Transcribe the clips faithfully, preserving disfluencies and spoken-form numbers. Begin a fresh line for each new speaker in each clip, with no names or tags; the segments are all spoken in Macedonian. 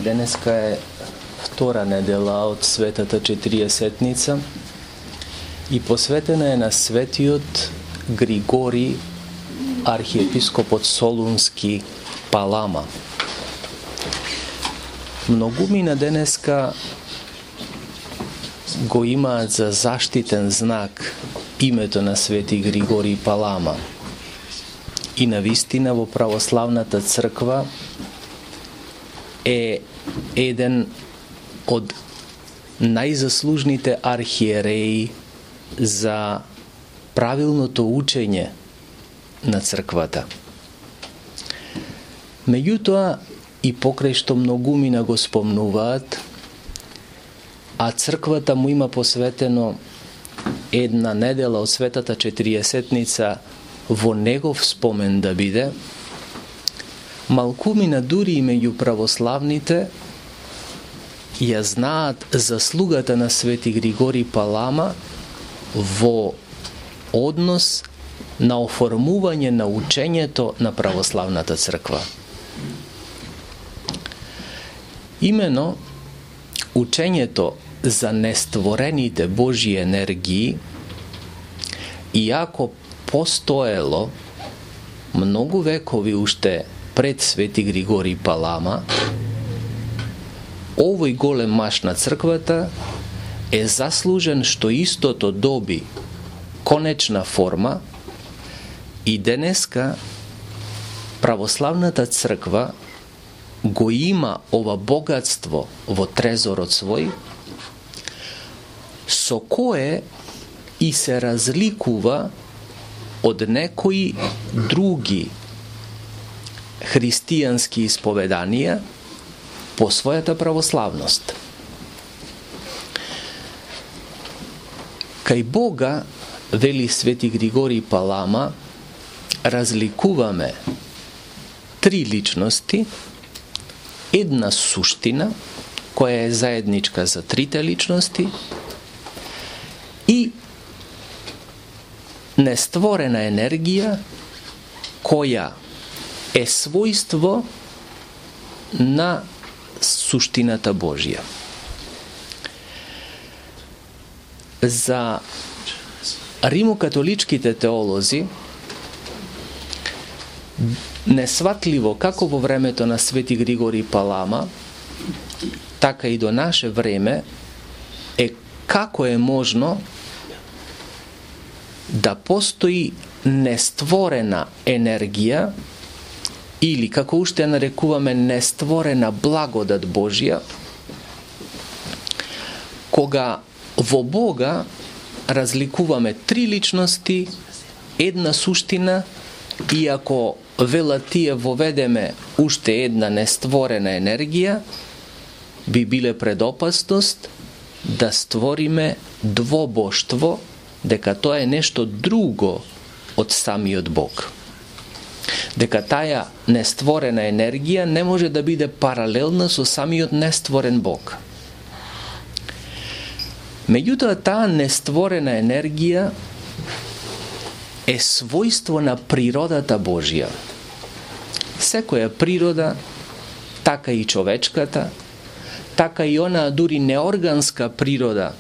Денеска е втора недела од Светата Четириесетница и посветена е на светиот Григорий, архиепископот Солунски Палама. Многумина денеска го имаат за заштитен знак името на свети Григорий Палама. И навистина во православната црква е еден од најзаслужните архиереи за правилното учење на црквата. Меѓутоа, и покрај што многумина го спомнуваат, а црквата му има посветено една недела од Светата Четириесетница во негов спомен да биде, малкумина дури и меѓу православните ја знаат заслугата на свети Григорий Палама во однос на оформување на учењето на православната црква. Имено, учењето за нестворените Божји енергии, иако постоело многу векови уште пред свети Григорий Палама, овој голем маж на црквата е заслужен што истото доби конечна форма и денеска православната црква го има ова богатство во трезорот свој, со кое и се разликува од некои други христијански исповеданија по својата православност. Кај Бога, вели свети Григорий Палама, разликуваме три личности, една суштина, која е заедничка за трите личности, и нестворена енергија, која е својство на суштината Божја. За римокатоличките теолози несватливо како во времето на свети Григорий Палама, така и до наше време е како е можно да постои нестворена енергија или како уште нарекуваме нестворена благодат Божја, кога во Бога разликуваме три личности, една суштина, и ако велат тие воведеме уште една нестворена енергија, би биле пред опасност да створиме двобоштво, дека тоа е нешто друго од самиот Бог. Дека таа нестворена енергија не може да биде паралелна со самиот нестворен Бог. Меѓутоа, таа нестворена енергија е својство на природата Божја. Секоја природа, така и човечката, така и онаа дури неорганска природа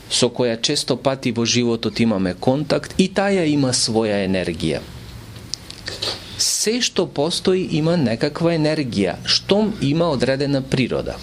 со која често пати во животот имаме контакт, и таа има своја енергија. Се што постои има некаква енергија, штом има одредена природа.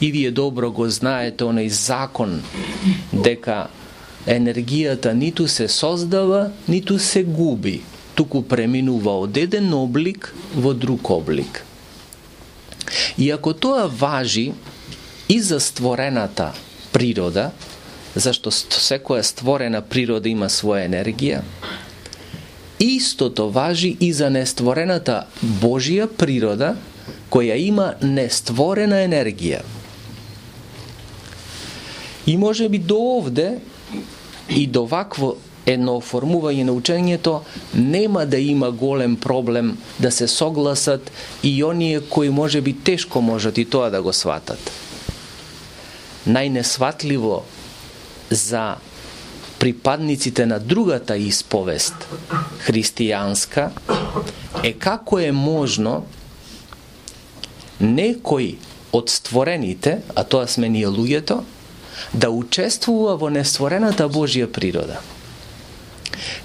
И вие добро го знаете оној закон дека енергијата ниту се создава, ниту се губи, туку преминува од еден облик во друг облик. И ако тоа важи и за створената природа, зашто секоја створена природа има своја енергија, истото важи и за нестворената Божја природа, која има нестворена енергија. И може би до овде и до вакво едно оформување на учењето нема да има голем проблем да се согласат и оние кои може би тешко можат и тоа да го сватат. Најнесватливо за припадниците на другата исповест, христијанска, е како е можно некој од створените, а тоа сме ние луѓето, да учествува во нестворената Божја природа.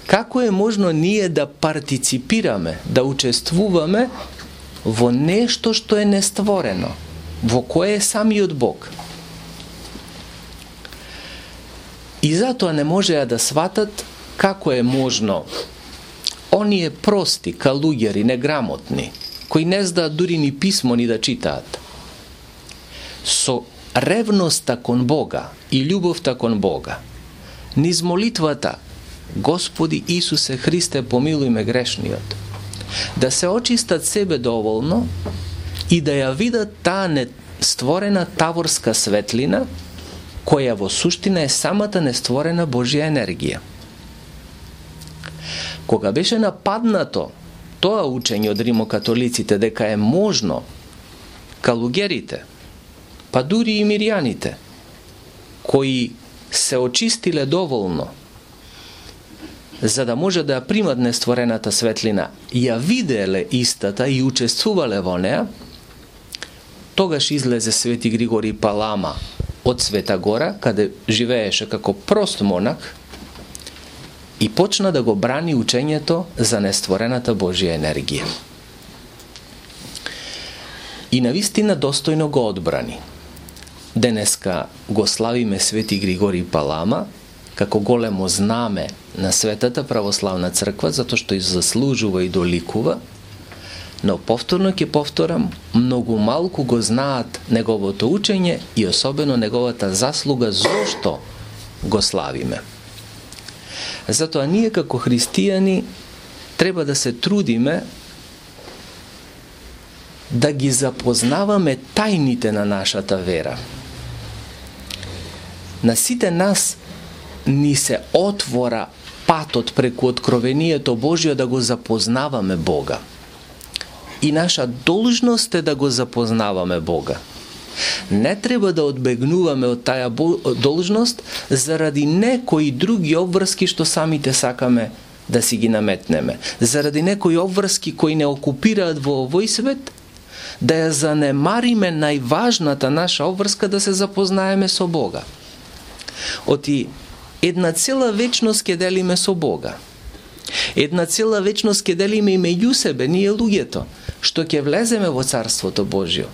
Како е можно ние да партиципираме, да учествуваме во нешто што е нестворено, во кое е самиот Бог? И затоа не можеа да сватат како е можно оние прости, калуѓери, неграмотни, кои не знаат дури ни писмо ни да читаат, со ревноста кон Бога и љубовта кон Бога, низ молитвата Господи Исусе Христе, помилуј ме грешниот, да се очистат себе доволно и да ја видат таа нестворена таворска светлина, која во суштина е самата нестворена Божја енергија. Кога беше нападнато тоа учење од римокатолиците дека е можно калуѓерите, па дури и мирјаните, кои се очистиле доволно за да може да ја примат нестворената светлина, ја виделе истата и учествувале во неа, тогаш излезе Свети Григорий Палама од Света Гора, каде живееше како прост монах, и почна да го брани учењето за нестворената Божја енергија. И навистина достојно го одбрани. Денеска го славиме Свети Григорий Палама како големо знаме на Светата православна црква, затоа што и заслужува и доликува, но повторно ќе повторам, многу малку го знаат неговото учење и особено неговата заслуга зошто го славиме. Затоа ние како христијани треба да се трудиме да ги запознаваме тајните на нашата вера. На сите нас ни се отвора патот преку откровението Божјо да го запознаваме Бога. И наша должност е да го запознаваме Бога. Не треба да одбегнуваме од таа должност заради некои други обврски што самите сакаме да си ги наметнеме. Заради некои обврски кои не окупираат во овој свет, да ја занемариме најважната наша обврска да се запознаеме со Бога. Оти една цела вечност ќе делиме со Бога. Една цела вечност ќе делиме и меѓу себе, ние луѓето, што ќе влеземе во Царството Божјо.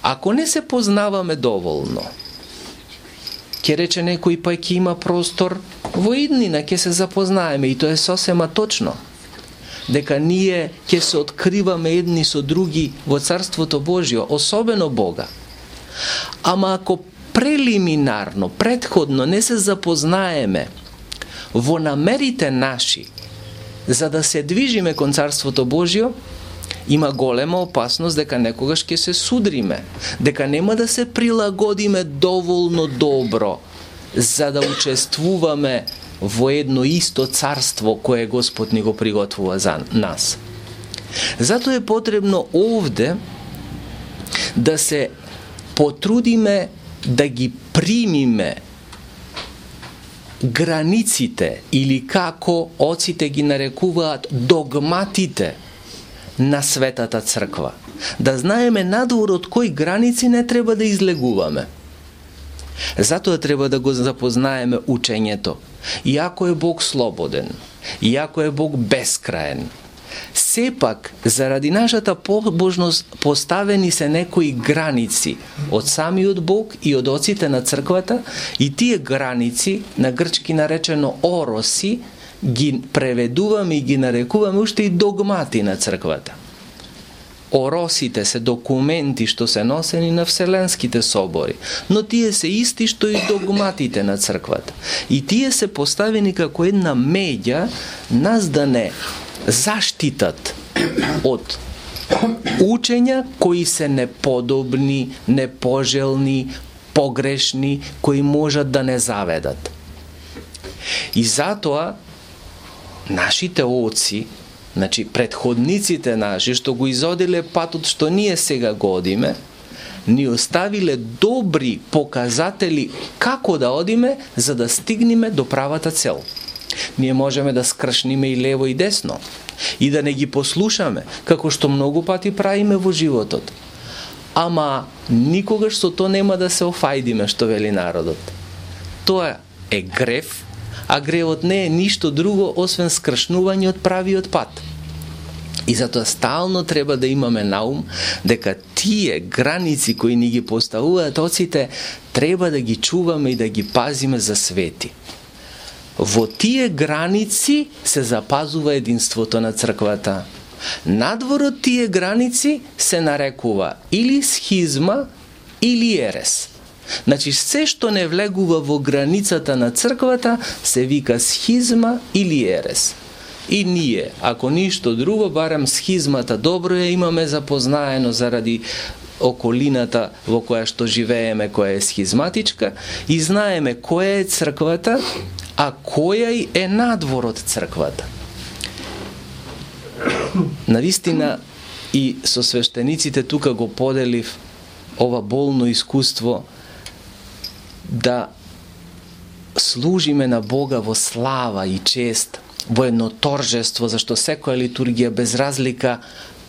Ако не се познаваме доволно, ќе рече некој, па ќе има простор во иднина, ќе се запознаеме, и тоа е сосема точно, дека ние ќе се откриваме едни со други во Царството Божјо, особено Бога. Ама ако прелиминарно, предходно не се запознаеме во намерите наши за да се движиме кон Царството Божјо, има голема опасност дека некогаш ќе се судриме, дека нема да се прилагодиме доволно добро за да учествуваме во едно исто царство кое Господ ни го приготвува за нас. Затоа е потребно овде да се потрудиме да ги примиме границите, или како оците ги нарекуваат догматите на Светата Црква. Да знаеме надвор од кои граници не треба да излегуваме. Затоа треба да го запознаеме учењето. Иако е Бог слободен, иако е Бог бескраен, сепак, заради нашата побожност, поставени се некои граници од самиот Бог и од оците на црквата, и тие граници, на грчки наречено ороси, ги преведуваме и ги нарекуваме уште и догмати на црквата. Оросите се документи што се носени на вселенските собори, но тие се исти што и догматите на црквата. И тие се поставени како една меѓа нас да не заштитат од учења кои се неподобни, непожелни, погрешни, кои можат да не заведат. И затоа нашите оци, значи предходниците наши што го изодиле патот што ние сега го одиме, ни оставиле добри показатели како да одиме за да стигнеме до правата цел. Ние можеме да скршниме и лево и десно и да не ги послушаме, како што многу пати правиме во животот. ама никогаш со тоа нема да се офајдиме, што вели народот. Тоа е грев, а гревот не е ништо друго освен скршнување од правиот пат. И затоа стално треба да имаме на ум дека тие граници кои ни ги поставуваат оците треба да ги чуваме и да ги пазиме за свети. Во тие граници се запазува единството на црквата. Надвор од тие граници се нарекува или схизма или ерес. Значи, се што не влегува во границата на црквата се вика схизма или ерес. И ние, ако ништо друго, барем схизмата добро ја имаме запознаено заради околината во која што живееме, која е схизматичка, и знаеме која е црквата, а која е надвор од црквата. Навистина и со свештениците тука го поделив ова болно искуство да служиме на Бога во слава и чест, во едно торжество, зашто секоја литургија без разлика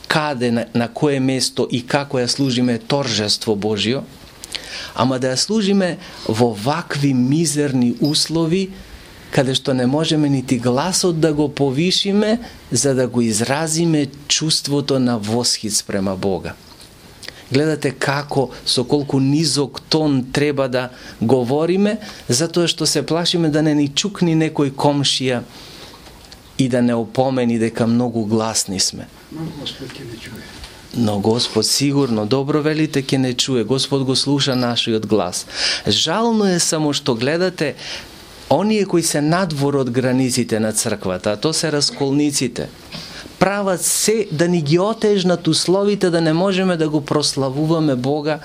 каде, на, на кое место и како ја служиме е торжество Божјо, ама да ја служиме во вакви мизерни услови, каде што не можеме нити гласот да го повишиме, за да го изразиме чувството на восхит спрема Бога. Гледате како, со колку низок тон треба да говориме, затоа што се плашиме да не ни чукни некој комшија и да не опомени дека многу гласни сме.
Но Господ ќе не чуе.
Но Господ сигурно, добро велите, ќе не чуе. Господ го слуша нашиот глас. Жално е само што гледате оние кои се надвор од границите на црквата, а то се расколниците, прават се да ни ги отежнат условите да не можеме да го прославуваме Бога,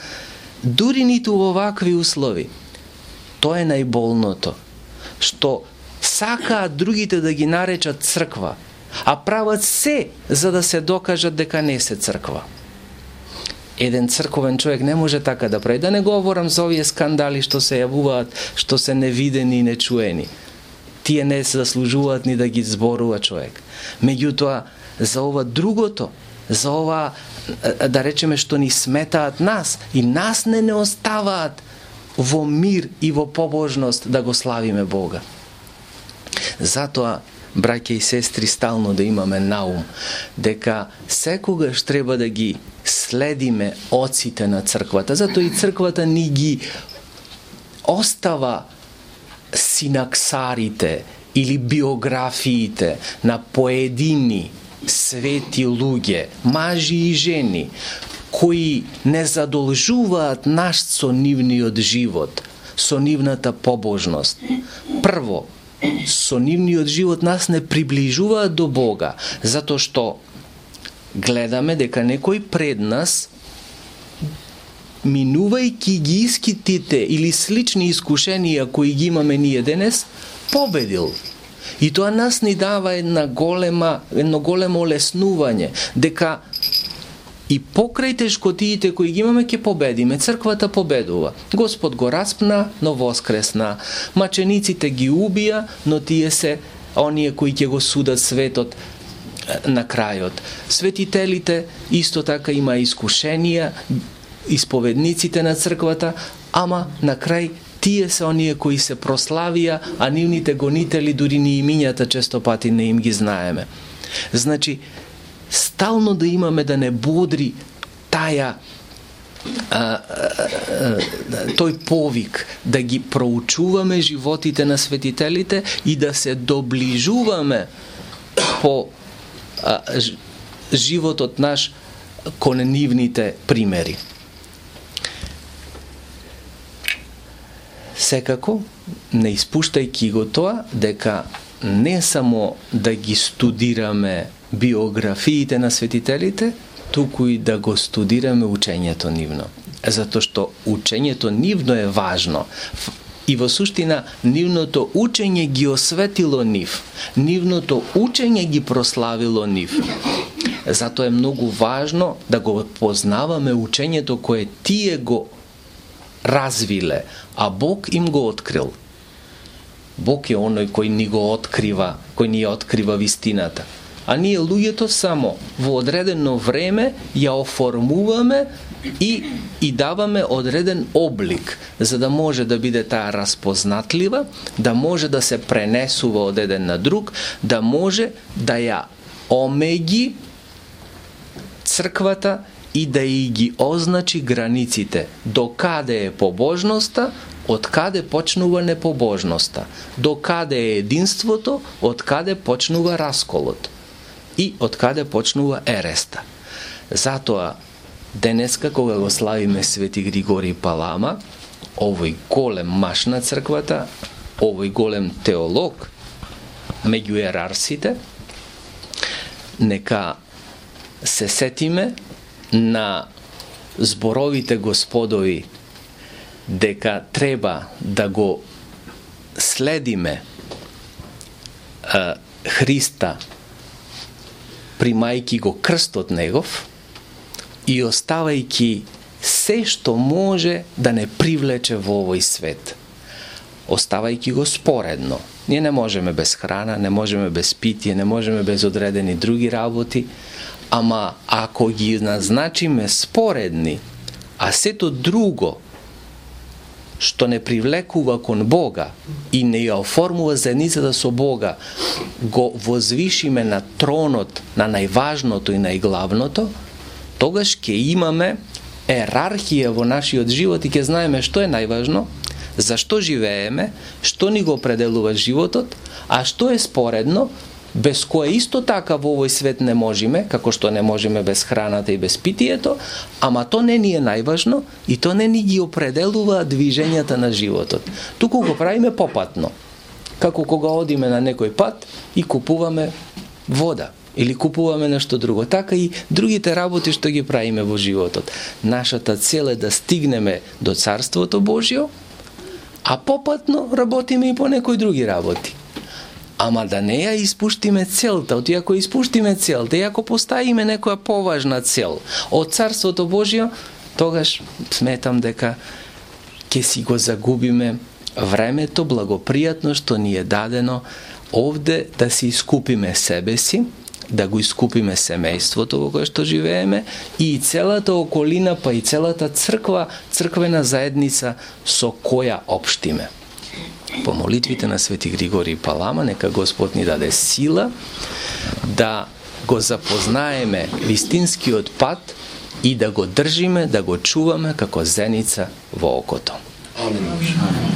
дури ниту во вакви услови. Тоа е најболното, што сакаат другите да ги наречат црква, а прават се за да се докажат дека не се црква. Еден црковен човек не може така да прави. Да не говорам за овие скандали што се јавуваат, што се невидени и нечуени. Тие не се заслужуваат ни да ги зборува човек. Меѓутоа, за ова другото, за ова, да речеме, што ни сметаат нас, и нас не не оставаат во мир и во побожност да го славиме Бога. Затоа, браќа и сестри, стално да имаме на ум дека секогаш треба да ги следиме оците на црквата. Затоа и црквата ни ги остава синаксарите или биографиите на поедини свети луѓе, мажи и жени, кои не задолжуваат наш со нивниот живот, со нивната побожност. Прво, со нивниот живот нас не приближуваат до Бога, затоа што гледаме дека некој пред нас, минувајќи ги искитите или слични искушенија кои ги имаме ние денес, победил. И тоа нас ни дава една голема, едно големо олеснување, дека и покрај тешкотиите кои ги имаме ќе победиме. Црквата победува. Господ го распна, но воскресна. Мачениците ги убија, но тие се оние кои ќе го судат светот на крајот. Светителите исто така има искушенија, исповедниците на црквата, ама на крај тие се оние кои се прославија, а нивните гонители дури ни имињата често пати не им ги знаеме. Значи, стално да имаме да не бодри таја а, а, а, тој повик да ги проучуваме животите на светителите и да се доближуваме по а, животот наш кон нивните примери. Секако, не испуштајќи го тоа, дека не само да ги студираме биографиите на светителите, туку и да го студираме учењето нивно. Затоа што учењето нивно е важно. И во суштина, нивното учење ги осветило нив. Нивното учење ги прославило нив. Затоа е многу важно да го познаваме учењето кое тие го развиле, а Бог им го открил. Бог е оној кој ни го открива, кој ни ја открива вистината. а ние луѓето само во одредено време ја оформуваме и, и даваме одреден облик, за да може да биде таа распознатлива, да може да се пренесува од еден на друг, да може да ја омеги црквата и да и ги означи границите, до каде е побожноста, од каде почнува непобожноста, до каде е единството, од каде почнува расколот и од каде почнува ереста. Затоа, денеска, кога го славиме Свети Григорий Палама, овој голем маж на црквата, овој голем теолог меѓу ерарсите, нека се сетиме на зборовите Господови дека треба да го следиме а, Христа, примајки го крстот негов и оставајки се што може да не привлече во овој свет, оставајки го споредно. Ние не можеме без храна, не можеме без питие, не можеме без одредени други работи, ама ако ги назначиме споредни, а сето друго што не привлекува кон Бога и не ја оформува заедницата со Бога, го возвишиме на тронот на најважното и најглавното, тогаш ќе имаме ерархија во нашиот живот и ќе знаеме што е најважно, зашто живееме, што ни го определува животот, а што е споредно, без кое исто така во овој свет не можеме, како што не можеме без храната и без питието, ама то не ни е најважно и то не ни ги определува движењата на животот. Туку го правиме попатно, како кога одиме на некој пат и купуваме вода или купуваме нешто друго. Така и другите работи што ги правиме во животот. Нашата цел е да стигнеме до Царството Божјо, а попатно работиме и по некои други работи. Ама да не ја испуштиме целта, оти ако испуштиме целта и ако поставиме некоја поважна цел од Царството Божјо, тогаш сметам дека ќе си го загубиме времето благопријатно што ни е дадено овде да си искупиме себе си, да го искупиме семејството во кое што живееме и целата околина, па и целата црква, црквена заедница со која општиме. По молитвите на Свети Григорий Палама, нека Господ ни даде сила да го запознаеме вистинскиот пат и да го држиме, да го чуваме како зеница во окото. Амин.